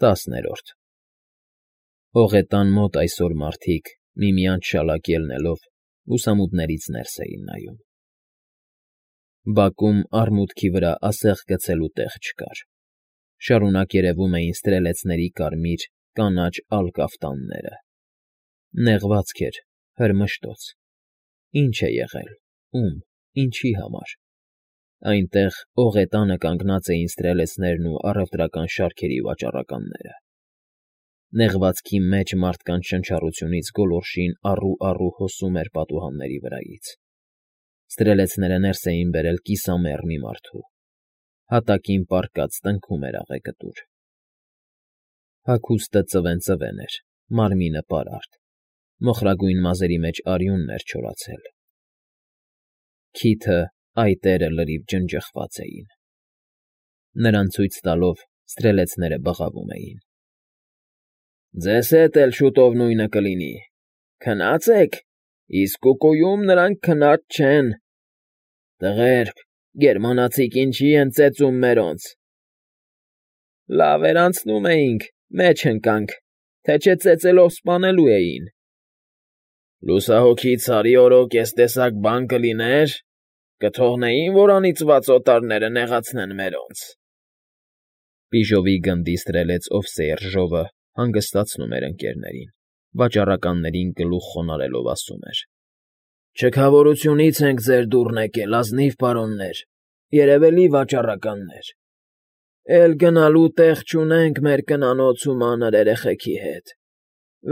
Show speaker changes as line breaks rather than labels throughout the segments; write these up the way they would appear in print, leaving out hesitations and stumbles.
10-րդ Հողետան մոտ այսօր մարդիկ, միմյանց շալակ ելնելով, լուսամուտներից ներս էին նայում. բակում արմուտքի վրա ասեղ գցելու տեղ չկար, շարունակ երևում էին ստրելեցների կարմիր, կանաչ ալկաֆտանները, նեղվածք էր, հրմշտոց, ինչ է եղել, ում, ինչի համար, այնտեղ ողետանը կանգնած էին ստրելեցներն ու առևտրական շարքերի վաճառականները, նեղվածքի մեջ մարդկանց շնչառությունից գոլորշին առու հոսում էր պատուհանների վրայից, ստրելեցները ներս էին բերել կիսամեռ մի մարդու, հատակին պառկած տնքում էր աղեկտուր, հագուստը ծվեն էր, մարմինը պարարտ, մոխրագույն մազերի մեջ արյունն էր չորացել, քիթը, այտերը լրիվ ջնջխված էին, նրան ցույց տալով ստրելեցները բղավում էին. Ձեզ հետ էլ շուտով նույնը կլինի, քնած եք, իսկ կուկույում նրանք քնած չեն, տղերք, գերմանացիք ինչի են ծեծում մերոնց, լավ էր անցնում էինք, մեջ ընկանք, թե չէ ծեծելով սպանելու էին, լուսահոգի Ցարի օրոք ես տեսակ բան կլիներ, կթողնեին, որ անիծված օտարները նեղացնեն մերոնց, Բիժովի գնդի ստրելեց Օվսեյրժովը հանգստացնում էր ընկերներին, վաճառականներին գլուխ խոնարհելով ասում էր. Չքավորությունից ենք ձեր դուռն եկել, ազնիվ պարոններ, երևելի վաճառականներ, էլ գնալու տեղ չունենք մեր կնանոց ու մանր երեխեքի հետ,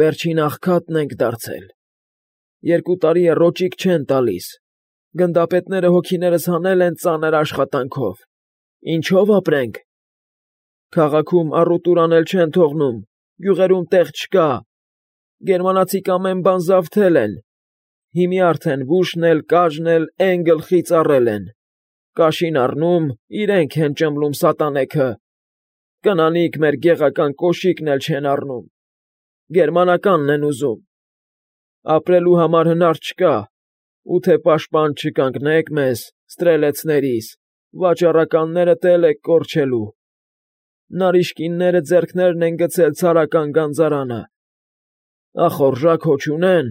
վերջին աղքատն ենք դարձել, 2 տարի է ռոճիկ չեն տալիս, գնդապետները հոգիներս հանել են ծանր աշխատանքով, ինչով ապրենք, քաղաքում առուտուր անել չեն թողնում, գյուղերում տեղ չկա, գերմանացիք ամեն բան զավթել են, հիմի արդեն վուշն էլ, կաժն էլ էն գլխի ծառել են, կաշին առնում, իրենք են ճմլում սատանեքը, կնանիք մեր գեղական կոշիկն էլ չեն առնում, գերմանականն են ուզում, ապրելու համար հնար չկա, ու թե պաշտպան չկանգնեք մեզ, ստրելեցներիս, վաճառականներդ էլ եք կորչելու, նարիշկինները ձեռքներն են գցել ցարական գանձարանը, ախորժակ հո չունեն,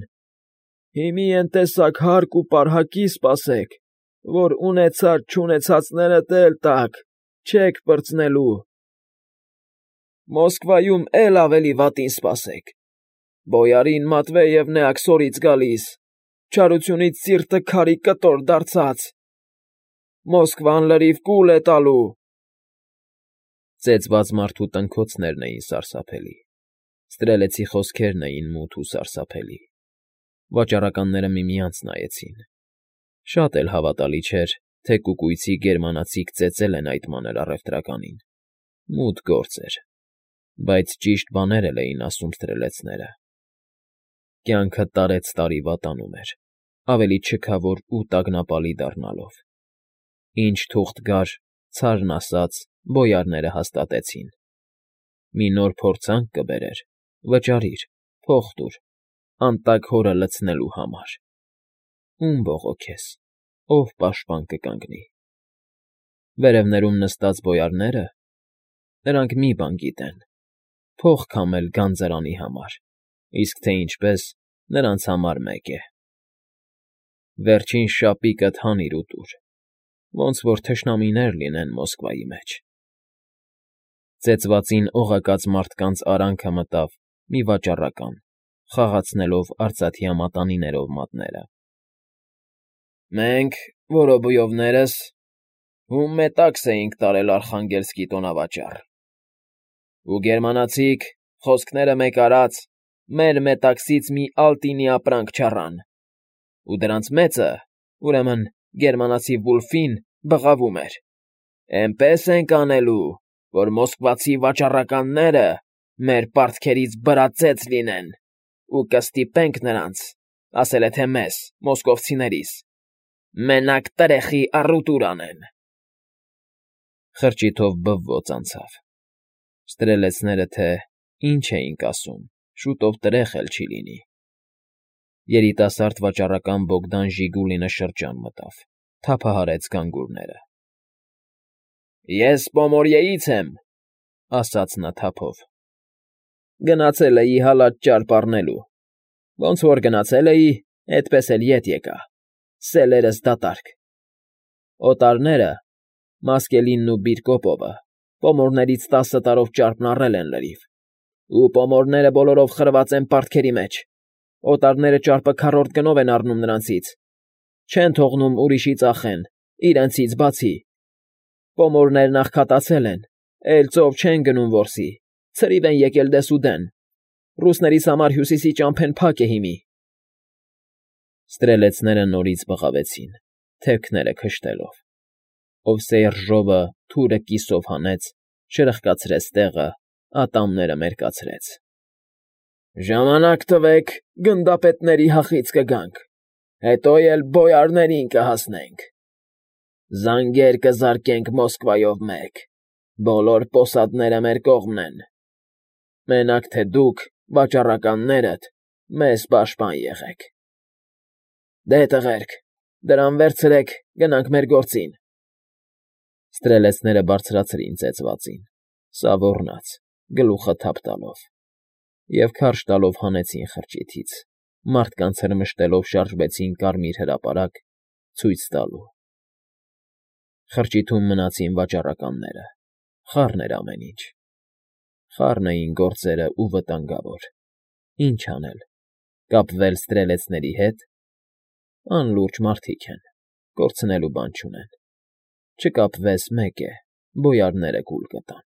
հիմի են տեսակ հարկ ու պարհակի սպասեք, որ ունեցած չունեցածներդ էլ տաք, չեք պրծնելու, Մոսկվայում էլ ավելի վատին սպասեք, Բոյարին Մատվեևն է աքսորից գալիս, չարությունից սիրտը քարի կտոր դարձած, Մոսկվան լրիվ կուլ է տալու, Ծեծված մարդու տնքոցներն էին սարսափելի, ստրելեցի խոսքերն էին մութ ու սարսափելի, վաճառականները միմյանց նայեցին, շատ էլ հավատալի չէր, թե կուկույցի գերմանացիք ծեծել են այդ մանր առևտրականին, մութ գործ էր, բայց ճիշտ բաներ էլ էին ասում ստրելեցները, կյանքը տարեց տարի վատանում էր, ավելի չքավոր ու տագնապալի դառնալով, ինչ թուղթ գար, ցարն ասաց, բոյարները հաստատեցին, մի նոր փորձանք կբերեր, վճարիր, փող տուր, անտակ հորը լցնելու համար, ում բողոքես, ով պաշտպան կկանգնի, վերևներում նստած բոյարները, նրանք մի բան գիտեն, փող քամել գանձարանի համար, իսկ թե ինչպես, նրանց համար մեկ է, վերջին շապիկդ հանիր ու տուր, ոնց որ թշնամիներ լինեն Մոսկվայի մեջ, ծեծվածին օղակած մարդկանց արանքը մտավ մի վաճառական, խաղացնելով արծաթյա մատանիներով մատները, մենք, որոբույովներս, հում մետաքս էինք տարել Արխանգելսկի տոնավաճառ, ու գերմանացիք, խոսքները մեկ արած, մեր մետաքսից մի ալտինի ապրանք չառան, ու դրանց մեծը, ուրեմն գերմանացի Վուլֆին բղավում էր, էնպես ենք անելու, որ մոսկվացի վաճառականները մեր պարտքերից բրածեծ լինեն ու կստիպենք նրանց, ասել է թե մեզ, մոսկովցիներիս, մենակ տրեխի առուտուր անեն։ Խրճիթով բվոց անցավ։ Ստրելեցները թե ինչ էինք ասում, շուտով տրեխ էլ չի լինի։ Երիտասարդ վաճառական Բոգդան Ժիգուլինը շրջան մտավ, թափահարեց գանգուրները։ Ես Պոմորիեից եմ, ասաց նա թափով, Գնացել էի հալած ճարպ առնելու։ Ոնց որ գնացել էի, էդպես էլ ետ եկա, սելերս դատարկ։ Օտարները, Մասկելինն ու Բիրկոպովը, պոմորներից 10 տարով ճարպն առել են լրիվ, ու պոմորները բոլորով խրված են պարտքերի մեջ։ Օտարները ճարպը քառորդ գնով են առնում նրանցից, չեն թողնում ուրիշի ծախեն, իրենցից բացի։ Պոմորներն աղքատացել են, էլ ծով չեն գնում որսի, ցրիվ են եկել դեսուդեն։ Ռուսներիս համար հյուսիսի ճամփեն փակ է հիմի։ Ստրելեցները նորից բղավեցին, թևքները քշտելով։ Օվսեյրժովը թուրը կիսով հանեց, շրխկացրեց տեղը, ատամները մերկացրեց։ Ժամանակ տվեք, գնդապետների հախից կգանք, հետո էլ բոյարներին կհասնենք։ Զանգեր կզարկենք Մոսկվայով մեկ, բոլոր պոսադները մեր կողմն են։ Մենակ թե դուք, վաճառականներդ, մեզ պաշտպան եղեք։ Դե տղերք, դրան վերցրեք, գնանք մեր գործին։ Ստրելեցները բարձրացրին ծեծվածին, սա ոռնաց, գլուխը թափ տալով, և քարշ տալով հանեցին խրճիթից, մարդկանց հրմշտելով շարժվեցին կարմիր հրապարակ, ցույց տալու։ Խրճիթում մնացին վաճառականները, խառն էր ամեն ինչ։ Խառն էին գործերը ու վտանգավոր։ Ինչ անել, կապվել ստրելեցների հետ։ Անլուրջ մարդիկ են, կորցնելու բան չունեն։ Չկապվես մեկ է, բոյարները կուլ կտան։